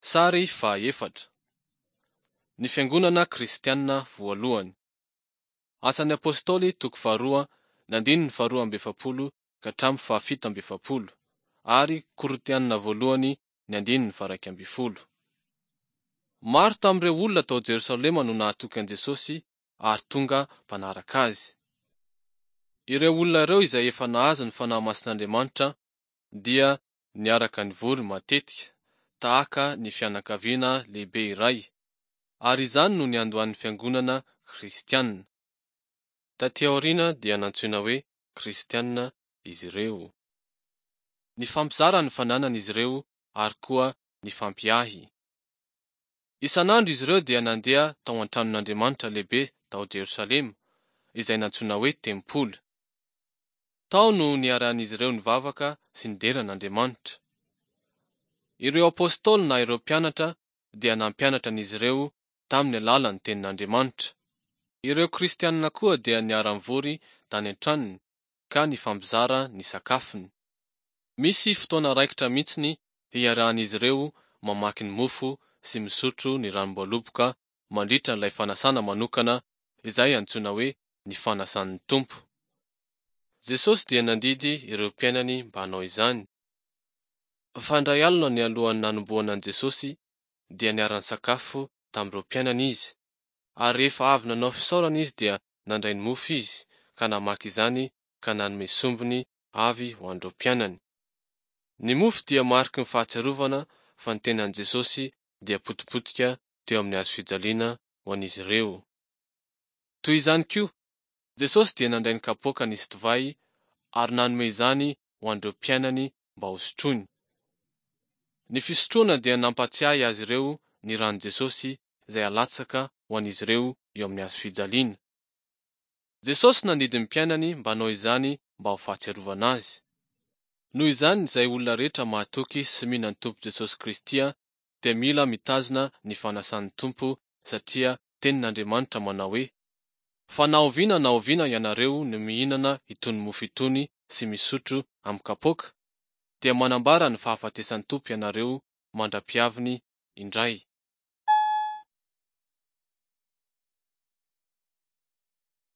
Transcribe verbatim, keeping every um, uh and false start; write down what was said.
Sary fahaefatra. Ny Fiangonana Kristiana voalohany. Asan'ny Apostoly toko faharoa ny andininy faharoa amby efapolo ka hatramin'ny fahafito amby efapolo ary Korintiana voalohany ny andininy faharaika ambin'ny folo. Maro tamin'ireo olona tao Jerosalema no nahatoky an'i Jesosy ary tonga mpanaraka azy. Ireo olona ireo izay efa nahazo ny Fanahy Masin'Andriamanitra dia niaraka nivory matetika, tahaka ny fianakaviana lehibe iray, ary izany no niandohan'ny fiangonana kristiana. Taty aoriana dia nantsoina hoe kristiana izy ireo. Nifampizara ny fananany izy ireo ary koa nifampiahy. Isan'andro izy ireo dia nandeha tao an-tranon'Andriamanitra lehibe tao Jerosalema, izay nantsoina hoe tempoly. Tao no niarahan'izy ireo nivavaka sy nidera an'Andriamanitra. Ireo apostoly na ireo mpianatra dia nampianatra an'izy ireo tamin'ny alalan'ny tenin'Andriamanitra. Ireo kristianina koa dia niara-nivory tany an-tranony ka nifampizara ny sakafony. Misy fotoana raikitra mihitsy hiarahan'izy ireo mamaky ny mofo sy misotro ny ranom-boaloboka mandritra ilay fanasana manokana izay antsoina hoe ny fanasan'ny Tompo. Jesosy dia nandidy ireo mpianany mba hanao izany. Fa indray alina nialohan'ny nanomboana an'i Jesosy dia niara-nisakafo tamin'ireo mpianany izy, ary rehefa avy nanao fisaorana izy dia nandray ny mofo izy ka namaky izany ka nanome sombiny avy ho an'ireo mpianany. Ny mofo dia mariky ny fahatsiarovana fa ny tenan'i Jesosy dia potipotika teo amin'ny hazo fijaliana ho an'izy ireo. Toy izany koa, Jesosy dia nandray ny kapoaka nisy divay ary nanome izany ho an'ireo mpianany mba hosotroiny. Ny fisotroana dia nampatsiahy azy ireo ny ran'i Jesosy izay alatsaka ho an'izy ireo eo amin'ny hazo fijaliana. Jesosy nandidy ny mpianany mba hanao izany mba ho fahatsiarovana azy. Noho izany izay olona rehetra mahatoky sy mino ny Tompo Jesosy Kristy dia mila mitazona ny fanasan'ny Tompo satria tenin'Andriamanitra manao hoe: Fa na oviana na oviana ianareo no mihinana itony mofo itony sy misotro amin'ny kapoaka, dia manambara ny fahafatesan'ny Tompo ianareo mandra-piaviny indray.